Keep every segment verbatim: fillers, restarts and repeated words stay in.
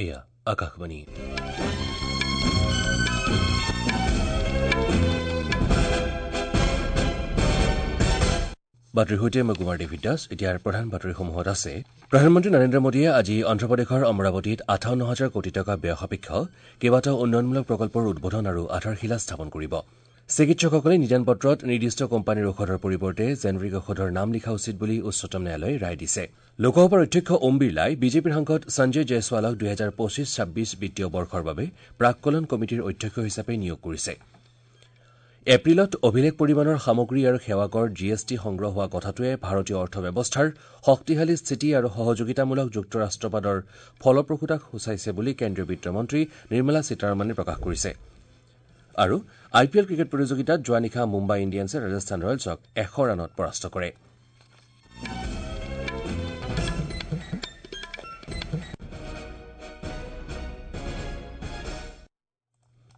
এয়া আকাশবাণী। বাতৰিৰ সৈতে মই কুমাৰ ডেভিড দাস। এতিয়াৰ প্ৰধান বাতৰিসমূহত আছে, প্ৰধানমন্ত্ৰী নৰেন্দ্ৰ মোদীয়ে আজি অন্ধ্ৰপ্ৰদেশৰ অমৰাৱতীত আঠাৱন্ন হাজাৰ কোটি টকা ব্যয় সাপেক্ষ কেইবাটাও উন্নয়নমূলক প্ৰকল্পৰ উদ্বোধন আৰু আধাৰশিলা স্থাপন কৰিব। চিকিৎসকসকলে নিদান পত্ৰত নিৰ্দিষ্ট কোম্পানীৰ ঔষধৰ পৰিৱৰ্তে জেনেৰিক ঔষধৰ নাম লিখা উচিত বুলি উচ্চতম ন্যায়ালয়ে ৰায় দিছে। লোকসভাৰ অধ্যক্ষ ওম বিৰলাই বিজেপিৰ সাংসদ সঞ্জয় জয়ছৱালক দুহেজাৰ পঁচিছ ছাব্বিছ বিত্তীয় বৰ্ষৰ বাবে প্ৰাককলন কমিটিৰ অধ্যক্ষ হিচাপে নিয়োগ কৰিছে। এপ্ৰিলত অভিলেখ পৰিমাণৰ সামগ্ৰী আৰু সেৱা কৰ জি এছ টি সংগ্ৰহ হোৱা কথাটোৱে ভাৰতীয় অৰ্থব্যৱস্থাৰ শক্তিশালী স্থিতি আৰু সহযোগিতামূলক যুক্তৰাষ্ট্ৰবাদৰ ফলপ্ৰসূতাক সূচাইছে বুলি কেন্দ্ৰীয় বিত্তমন্ত্ৰী নিৰ্মলা সীতাৰমণে প্ৰকাশ কৰিছে। আৰু আই পি এল ক্ৰিকেট প্ৰতিযোগিতাত যোৱা নিশা মুম্বাই ইণ্ডিয়ানছে ৰাজস্থান ৰয়েলছক এশ ৰানত পৰাস্ত কৰে।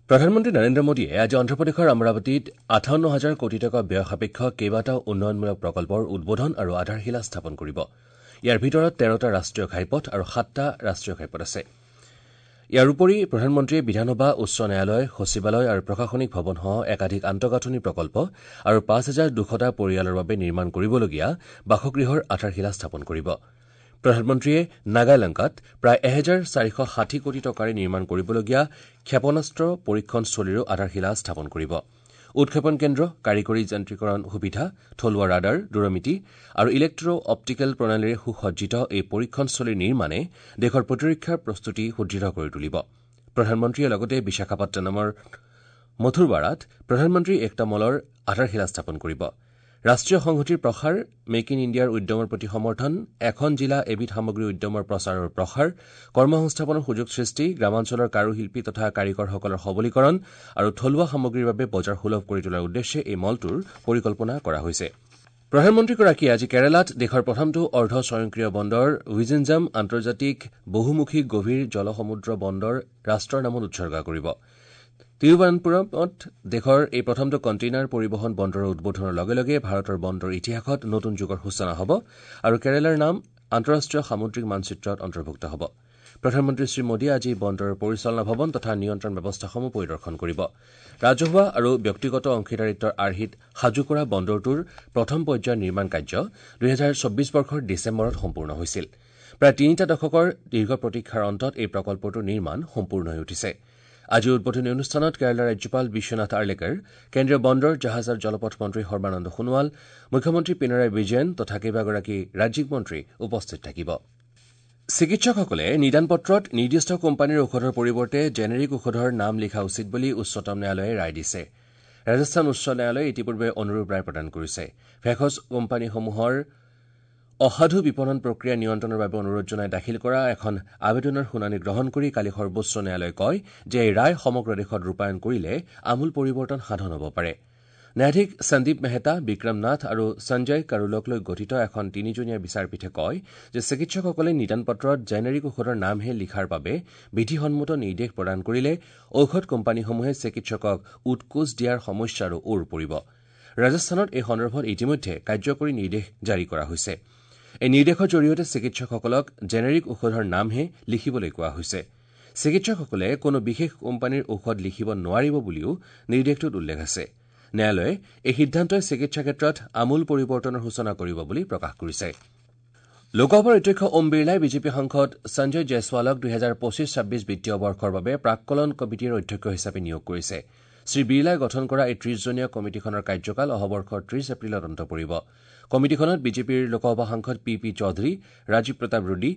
প্ৰধানমন্ত্ৰী নৰেন্দ্ৰ মোদীয়ে আজি অন্ধ্ৰপ্ৰদেশৰ অমৰাৱতীত আঠাৱন্ন হাজাৰ কোটি টকা ব্যয় সাপেক্ষ কেইবাটাও উন্নয়নমূলক প্ৰকল্পৰ উদ্বোধন আৰু আধাৰশিলা স্থাপন কৰিব। ইয়াৰ ভিতৰত তেৰটা ৰাষ্ট্ৰীয় ঘাইপথ আৰু সাতটা ৰাষ্ট্ৰীয় ঘাইপথ আছে। ইয়াৰ উপৰি প্ৰধানমন্ত্ৰীয়ে বিধানসভা, উচ্চ ন্যায়ালয়, সচিবালয় আৰু প্ৰশাসনিক ভৱনসহ একাধিক আন্তঃগাঁথনি প্ৰকল্প আৰু পাঁচ হাজাৰ দুশটা পৰিয়ালৰ বাবে নিৰ্মাণ কৰিবলগীয়া বাসগৃহৰ আধাৰশিলা স্থাপন কৰিব। প্ৰধানমন্ত্ৰীয়ে নাগালেংকাত প্ৰায় এহেজাৰ চাৰিশ ষাঠি কোটি টকাৰে নিৰ্মাণ কৰিবলগীয়া ক্ষেপণাস্ত্ৰ পৰীক্ষণস্থলীৰো আধাৰশিলা স্থাপন কৰিব। উৎক্ষেপণ কেন্দ্ৰ, কাৰিকৰী যান্ত্ৰিকৰণ সুবিধা, থলুৱা ৰাডাৰ, দূৰমিতি আৰু ইলেক্ট্ৰ অপ্টিকেল প্ৰণালীৰে সুসজ্জিত এই পৰীক্ষণস্থলীৰ নিৰ্মাণে দেশৰ প্ৰতিৰক্ষা প্ৰস্তুতি সুদৃঢ় কৰি তুলিব। প্ৰধানমন্ত্ৰীয়ে লগতে বিশাখাপট্টনমৰ মথুৰবাৰাত প্ৰধানমন্ত্ৰী একতা মলৰ আধাৰশিলা স্থাপন কৰিব। ৰাষ্ট্ৰীয় সংহতিৰ প্ৰসাৰ, মেক ইন ইণ্ডিয়াৰ উদ্যমৰ প্ৰতি সমৰ্থন, এখন জিলা এবিধ সামগ্ৰী উদ্যমৰ প্ৰচাৰৰ প্ৰসাৰ, কৰ্মসংস্থাপনৰ সুযোগ সৃষ্টি, গ্ৰামাঞ্চলৰ কাৰুশিল্পী তথা কাৰিকৰসকলৰ সবলীকৰণ আৰু থলুৱা সামগ্ৰীৰ বাবে বজাৰ সুলভ কৰি তোলাৰ উদ্দেশ্যে এই মলটোৰ পৰিকল্পনা কৰা হৈছে। প্ৰধানমন্ত্ৰীগৰাকীয়ে আজি কেৰালাত দেশৰ প্ৰথমটো অৰ্ধ স্বয়ংক্ৰিয় বন্দৰ ৱিজিনজাম আন্তৰ্জাতিক বহুমুখী গভীৰ জলসমুদ্ৰ বন্দৰ ৰাষ্ট্ৰৰ নামত উৎসৰ্গা কৰিব। তিৰুৱনন্তপুৰমত দেশৰ এই প্ৰথমটো কণ্টেইনাৰ পৰিবহণ বন্দৰৰ উদ্বোধনৰ লগে লগে ভাৰতৰ বন্দৰ ইতিহাসত নতুন যুগৰ সূচনা হ'ব আৰু কেৰালাৰ নাম আন্তঃৰাষ্ট্ৰীয় সামুদ্ৰিক মানচিত্ৰত অন্তৰ্ভুক্ত হ'ব। প্ৰধানমন্ত্ৰী শ্ৰী মোদীয়ে আজি বন্দৰৰ পৰিচালনা ভৱন তথা নিয়ন্ত্ৰণ ব্যৱস্থাসমূহ পৰিদৰ্শন কৰিব। ৰাজহুৱা আৰু ব্যক্তিগত অংশীদাৰিত্বৰ আৰ্হিত সাজু কৰা বন্দৰটোৰ প্ৰথম পৰ্যায়ৰ নিৰ্মাণ কাৰ্য দুহেজাৰ চৌব্বিছ বৰ্ষৰ ডিচেম্বৰত সম্পূৰ্ণ হৈছিল। প্ৰায় তিনিটা দশকৰ দীৰ্ঘ প্ৰতীক্ষাৰ অন্তত এই প্ৰকল্পটোৰ নিৰ্মাণ সম্পূৰ্ণ হৈ উঠিছে। আজিৰ উদ্বোধনী অনুষ্ঠানত কেৰালাৰ ৰাজ্যপাল বিশ্বনাথ আৰ্লেকাৰ, কেন্দ্ৰীয় বন্দৰ, জাহাজ আৰু জলপথ মন্ত্ৰী সৰ্বানন্দ সোণোৱাল, মুখ্যমন্ত্ৰী পিনাৰাই বিজয়ন তথা কেইবাগৰাকী ৰাজ্যিক মন্ত্ৰী উপস্থিত থাকিব। চিকিৎসকসকলে নিদান পত্ৰত নিৰ্দিষ্ট কোম্পানীৰ ঔষধৰ পৰিৱৰ্তে জেনেৰিক ঔষধৰ নাম লিখা উচিত বুলি উচ্চতম ন্যায়ালয়ে ৰায় দিছে। ৰাজস্থান উচ্চ ন্যায়ালয়ে ইতিপূৰ্বে অনুৰূপ ৰায় প্ৰদান কৰিছে। ভেষজ কোম্পানীসমূহৰ অসাধু বিপণন প্ৰক্ৰিয়া নিয়ন্ত্ৰণৰ বাবে অনুৰোধ জনাই দাখিল কৰা এখন আবেদনৰ শুনানি গ্ৰহণ কৰি কালি সৰ্বোচ্চ ন্যায়ালয়ে কয় যে এই ৰায় সমগ্ৰ দেশত ৰূপায়ণ কৰিলে আমূল পৰিৱৰ্তন সাধন হ'ব পাৰে। ন্যায়াধীশ সন্দীপ মেহতা, বিক্ৰম নাথ আৰু সঞ্জয় কাৰোলক লৈ গঠিত এখন তিনিজনীয়া বিচাৰপীঠে কয় যে চিকিৎসকসকলে নিদান পত্ৰত জেনেৰিক ঔষধৰ নামহে লিখাৰ বাবে বিধিসন্মত নিৰ্দেশ প্ৰদান কৰিলে ঔষধ কোম্পানীসমূহে চিকিৎসকক উৎকোচ দিয়াৰ সমস্যাৰো ওৰ পৰিব। ৰাজস্থানত এই সন্দৰ্ভত ইতিমধ্যে কাৰ্যকৰী নিৰ্দেশ জাৰি কৰা হৈছে। এই নিৰ্দেশৰ জৰিয়তে চিকিৎসকসকলক জেনেৰিক ঔষধৰ নামহে লিখিবলৈ কোৱা হৈছে। চিকিৎসকসকলে কোনো বিশেষ কোম্পানীৰ ঔষধ লিখিব নোৱাৰিব বুলিও নিৰ্দেশটোত উল্লেখ আছে। ন্যায়ালয়ে এই সিদ্ধান্তই চিকিৎসা ক্ষেত্ৰত আমূল পৰিৱৰ্তনৰ সূচনা কৰিব বুলি প্ৰকাশ কৰিছে। লোকসভাৰ অধ্যক্ষ ওম বিৰলাই বিজেপি সাংসদ সঞ্জয় জয়ছৱালক দুহেজাৰ পঁচিছ ছাব্বিছ বিত্তীয় বৰ্ষৰ বাবে প্ৰাককলন কমিটিৰ অধ্যক্ষ হিচাপে নিয়োগ কৰিছে। শ্ৰী বিৰলাই গঠন কৰা এই ত্ৰিশজনীয়া কমিটিখনৰ কাৰ্যকাল অহা বৰ্ষৰ ত্ৰিশ এপ্ৰিলত অন্ত পৰিব। কমিটিখনত বিজেপিৰ লোকসভা সাংসদ পি পি চৌধুৰী, ৰাজীৱ প্ৰতাপ ৰুডী,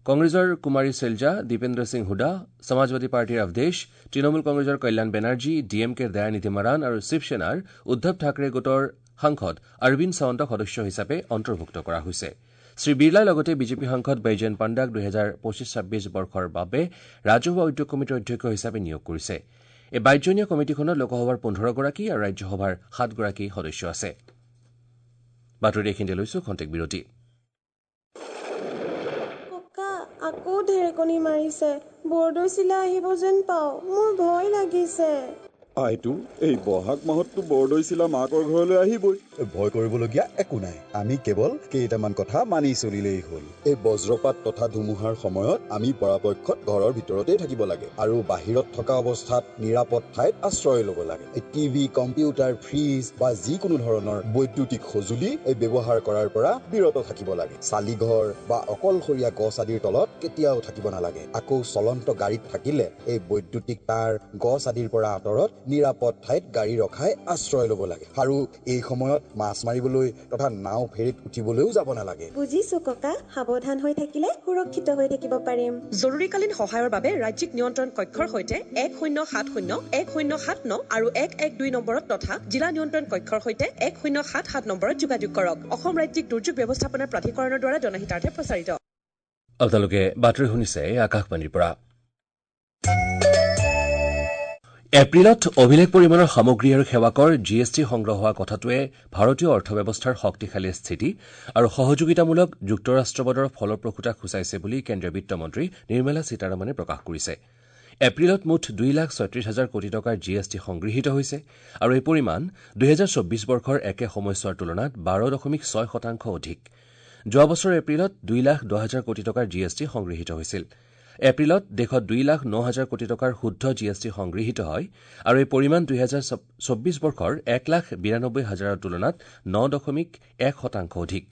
কংগ্ৰেছৰ কুমাৰী চেলজা, দীপেন্দ্ৰ সিং হুডা, সমাজবাদী পাৰ্টীৰ অৱধেশ, তৃণমূল কংগ্ৰেছৰ কল্যাণ বেনাৰ্জী, ডি এম কেৰ দয়ানিধি মাৰাণ আৰু শিৱসেনাৰ উদ্ধৱ ঠাকৰে গোটৰ সাংসদ অৰবিন্দ সাৱন্তক সদস্য হিচাপে অন্তৰ্ভুক্ত কৰা হৈছে। শ্ৰী বিৰলাই লগতে বিজেপি সাংসদ বৈজয়ন্ত পাণ্ডাক দুহেজাৰ পঁচিছ ছাব্বিছ বৰ্ষৰ বাবে ৰাজহুৱা উদ্যোগ কমিটিৰ অধ্যক্ষ হিচাপে নিয়োগ কৰিছে। এই বাইশজনীয়া কমিটিখনত লোকসভাৰ পোন্ধৰগৰাকী আৰু ৰাজ্যসভাৰ সাতগৰাকী সদস্য আছে। বাতৰি এইখিনিতে লৈছো খন্তেক বিৰতি। ককা, আকৌ ঢেৰেকনি মাৰিছে, বৰদৈচিলা আহিব যেন পাওঁ, মোৰ ভয় লাগিছে। আইতো, এই বহাগ মাহততো বৰদৈচিলা মাকৰ ঘৰলৈ আহিবই। ভয় কৰিবলগীয়া একো নাই, আমি কেৱল কেইটামান কথা মানি চলিলেই হ'ল। এই বজ্ৰপাত তথা ধুমুহাৰ সময়ত আমি পৰাপক্ষত ঘৰৰ ভিতৰতেই থাকিব লাগে আৰু বাহিৰত থকা অৱস্থাত নিৰাপদ ঠাইত আশ্ৰয় ল'ব লাগে। এই টিভি, কম্পিউটাৰ, ফ্ৰিজ বা যিকোনো ধৰণৰ বৈদ্যুতিক সঁজুলি এই ব্যৱহাৰ কৰাৰ পৰা বিৰত থাকিব লাগে। চালিঘৰ বা অকলশৰীয়া গছ আদিৰ তলত কেতিয়াও থাকিব নালাগে। আকৌ চলন্ত গাড়ীত থাকিলে এই বৈদ্যুতিক তাঁৰ, গছ আদিৰ পৰা আঁতৰত নিৰাপদ ঠাইত গাড়ী ৰখাই আশ্ৰয় ল'ব লাগে। আৰু এই সময়ত মাছ মাৰিবলৈ তথা নাও ফেৰীত উঠিবলৈও যাব নালাগে। বুজিছো ককা, সাৱধান হৈ থাকিলে সুৰক্ষিত হৈ থাকিব পাৰিম। জৰুৰীকালীন সহায়ৰ বাবে ৰাজ্যিক নিয়ন্ত্ৰণ কক্ষৰ সৈতে এক শূন্য সাত শূন্য এক শূন্য সাত ন আৰু এক এক দুই নম্বৰত তথা জিলা নিয়ন্ত্ৰণ কক্ষৰ সৈতে এক শূন্য সাত সাত নম্বৰত যোগাযোগ কৰক। অসম ৰাজ্যিক দুৰ্যোগ ব্যৱস্থাপনা প্ৰাধিকৰণৰ দ্বাৰা জনহিতাৰ্থে প্ৰচাৰিত। আপোনালোকে বাতৰি শুনিছে আকাশবাণীৰ পৰা। এপ্ৰিলত অভিলেখ পৰিমাণৰ সামগ্ৰী আৰু সেৱাকৰ জি এছ টি সংগ্ৰহ হোৱা কথাটোৱে ভাৰতীয় অৰ্থব্যৱস্থাৰ শক্তিশালী স্থিতি আৰু সহযোগিতামূলক যুক্তৰাষ্ট্ৰবাদৰ ফলপ্ৰসূতাক সূচাইছে বুলি কেন্দ্ৰীয় বিত্তমন্ত্ৰী নিৰ্মলা সীতাৰমণে প্ৰকাশ কৰিছে। এপ্ৰিলত মুঠ দুই লাখ ছয়ত্ৰিশ হাজাৰ কোটি টকাৰ জি এছ টি সংগৃহীত হৈছে আৰু এই পৰিমাণ দুহেজাৰ চৌব্বিছ বৰ্ষৰ একে সময়ছোৱাৰ তুলনাত বাৰ দশমিক ছয় শতাংশ অধিক। যোৱা বছৰৰ এপ্ৰিলত দুই লাখ দহ হাজাৰ কোটি টকাৰ জি এছ টি সংগৃহীত হৈছিল। এপ্ৰিলত দেশত দুই লাখ ন হাজাৰ কোটি টকাৰ শুদ্ধ জি এছ টি সংগৃহীত হয় আৰু এই পৰিমাণ দুহেজাৰ চৌব্বিছ বৰ্ষৰ এক লাখ বিৰানব্বৈ হাজাৰৰ তুলনাত ন দশমিক এক শতাংশ অধিক।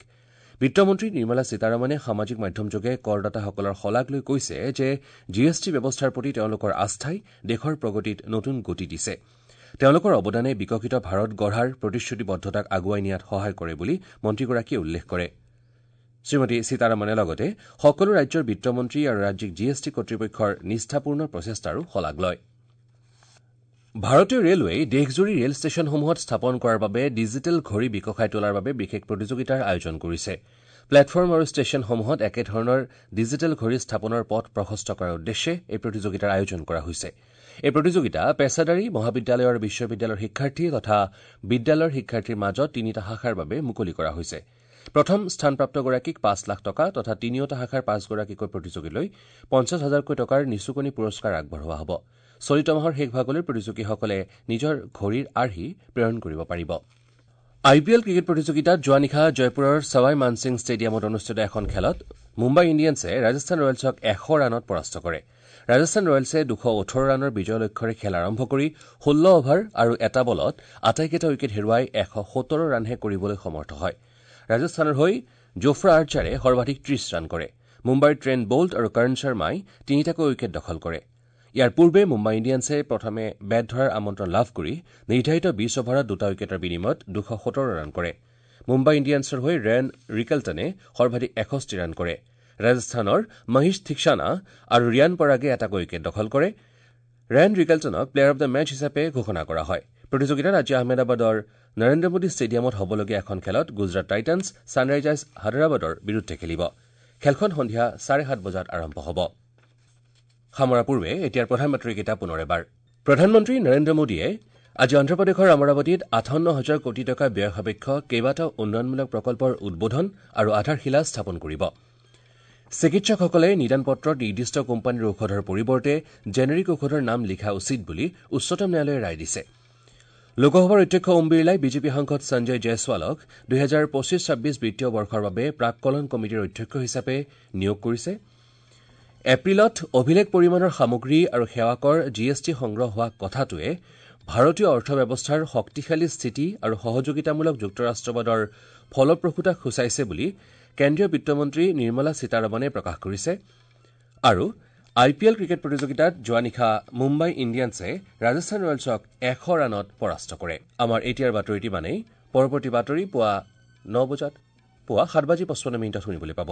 বিত্তমন্ত্ৰী নিৰ্মলা সীতাৰমণে সামাজিক মাধ্যমযোগে কৰদাতাসকলৰ শলাগ লৈ কৈছে যে জি এছ টি ব্যৱস্থাৰ প্ৰতি তেওঁলোকৰ আস্থাই দেশৰ প্ৰগতিত নতুন গতি দিছে। তেওঁলোকৰ অৱদানে বিকশিত ভাৰত গঢ়াৰ প্ৰতিশ্ৰুতিবদ্ধতাক আগুৱাই নিয়াত সহায় কৰে বুলি মন্ত্ৰীগৰাকীয়ে উল্লেখ কৰে। শ্ৰীমতী সীতাৰমণে লগতে সকলো ৰাজ্যৰ বিত্তমন্ত্ৰী আৰু ৰাজ্যিক জি এছ টি কৰ্তৃপক্ষৰ নিষ্ঠাপূৰ্ণ প্ৰচেষ্টাৰো শলাগ লয়। ভাৰতীয় ৰেলৱেই দেশজুৰি ৰেল ষ্টেচনসমূহত স্থাপন কৰাৰ বাবে ডিজিটেল ঘড়ী বিকশাই তোলাৰ বাবে বিশেষ প্ৰতিযোগিতাৰ আয়োজন কৰিছে। প্লেটফৰ্ম আৰু ষ্টেচনসমূহত একেধৰণৰ ডিজিটেল ঘড়ী স্থাপনৰ পথ প্ৰশস্ত কৰাৰ উদ্দেশ্যে এই প্ৰতিযোগিতাৰ আয়োজন কৰা হৈছে। এই প্ৰতিযোগিতা পেছাদাৰী, মহাবিদ্যালয় আৰু বিশ্ববিদ্যালয়ৰ শিক্ষাৰ্থী তথা বিদ্যালয়ৰ শিক্ষাৰ্থীৰ মাজত তিনিটা শাখাৰ বাবে মুকলি কৰা হৈছে। প্ৰথম স্থানপ্ৰাপ্তগৰাকীক পাঁচ লাখ টকা তথা তিনিওটা শাখাৰ পাঁচগৰাকীকৈ প্ৰতিযোগীলৈ পঞ্চাছ হাজাৰকৈ টকাৰ নিচুকনি পুৰস্কাৰ আগবঢ়োৱা হ'ব। চলিত মাহৰ শেষ ভাগলৈ প্ৰতিযোগীসকলে নিজৰ ঘড়ীৰ আৰ্হি প্ৰেৰণ কৰিব পাৰিব। আই পি এল ক্ৰিকেট প্ৰতিযোগিতাত যোৱা নিশা জয়পুৰৰ ছাৱাই মানসিং ষ্টেডিয়ামত অনুষ্ঠিত এখন খেলত মুম্বাই ইণ্ডিয়ানছে ৰাজস্থান ৰয়েলছক এশ ৰানত পৰাস্ত কৰে। ৰাজস্থান ৰয়েলছে দুশ ওঠৰ ৰানৰ বিজয় লক্ষ্যৰে খেল আৰম্ভ কৰি ষোল্ল অভাৰ আৰু এটা বলত আটাইকেইটা উইকেট হেৰুৱাই এশ সোতৰ ৰানহে কৰিবলৈ সমৰ্থ হয়। ৰাজস্থানৰ হৈ জোফ্ৰা আৰ্চাৰে সৰ্বাধিক ত্ৰিশ ৰান কৰে। মুম্বাইৰ ট্ৰেণ্ট বল্ট আৰু কৰ্ণ শৰ্মাই তিনিটাকৈ উইকেট দখল কৰে। ইয়াৰ পূৰ্বে মুম্বাই ইণ্ডিয়ানছে প্ৰথমে বেট ধৰাৰ আমন্ত্ৰণ লাভ কৰি নিৰ্ধাৰিত বিশ অভাৰত দুটা উইকেটৰ বিনিময়ত দুশ সোতৰ ৰান কৰে। মুম্বাই ইণ্ডিয়ানছৰ হৈ ৰেন ৰিকেলটনে সৰ্বাধিক এষষ্ঠি ৰান কৰে। ৰাজস্থানৰ মহেশ থিকসানা আৰু ৰিয়ান পৰাগে এটাকৈ উইকেট দখল কৰে। ৰেন ৰিকেলটনক প্লেয়াৰ অব the match হিচাপে ঘোষণা কৰা হয়। প্ৰতিযোগিতাত আজি আহমেদাবাদৰ নৰেন্দ্ৰ মোদী ষ্টেডিয়ামত হ'বলগীয়া এখন খেলত গুজৰাট টাইটানছ ছানৰাইজাৰ্ছ হায়দৰাবাদৰ বিৰুদ্ধে খেলিব। খেলখন সন্ধিয়া চাৰে সাত বজাত আৰম্ভ হ'ব। সামৰাৰ পূৰ্বে এতিয়াৰ প্ৰধান বাতৰিকেইটা পুনৰ এবাৰ। প্ৰধানমন্ত্ৰী নৰেন্দ্ৰ মোদীয়ে আজি অন্ধ্ৰপ্ৰদেশৰ অমৰাৱতীত আঠাৱন্ন হাজাৰ কোটি টকা ব্যয় সাপেক্ষ কেইবাটাও উন্নয়নমূলক প্ৰকল্পৰ উদ্বোধন আৰু আধাৰশিলা স্থাপন কৰিব। চিকিৎসকসকলে নিদান পত্ৰত নিৰ্দিষ্ট কোম্পানীৰ ঔষধৰ পৰিৱৰ্তে জেনেৰিক ঔষধৰ নাম লিখা উচিত বুলি উচ্চতম ন্যায়ালয়ে ৰায় দিছে। লোকসভাৰ অধ্যক্ষ ওম বিৰলাই বিজেপি সাংসদ সঞ্জয় জয়ছৱালক দুহেজাৰ পঁচিছ ছাব্বিছ বিত্তীয় বৰ্ষৰ বাবে প্ৰাককলন কমিটিৰ অধ্যক্ষ হিচাপে নিয়োগ কৰিছে। এপ্ৰিলত অভিলেখ পৰিমাণৰ সামগ্ৰী আৰু সেৱাকৰ জি এছ টি সংগ্ৰহ হোৱা কথাটোৱে ভাৰতীয় অৰ্থব্যৱস্থাৰ শক্তিশালী স্থিতি আৰু সহযোগিতামূলক যুক্তৰাষ্ট্ৰবাদৰ ফলপ্ৰসূতাক সূচাইছে বুলি কেন্দ্ৰীয় বিত্তমন্ত্ৰী নিৰ্মলা সীতাৰমণে প্ৰকাশ কৰিছে। আৰু আই পি এল ক্ৰিকেট প্ৰতিযোগিতাত যোৱা নিশা মুম্বাই ইণ্ডিয়ানছে ৰাজস্থান ৰয়েলছক এশ ৰানত পৰাস্ত কৰে। আমাৰ এতিয়াৰ বাতৰিটি মানেই। পৰৱৰ্তী বাতৰি পুৱা ন বজাত পুৱা সাত বাজি পঁচপন্ন মিনিটত শুনিবলৈ পাব।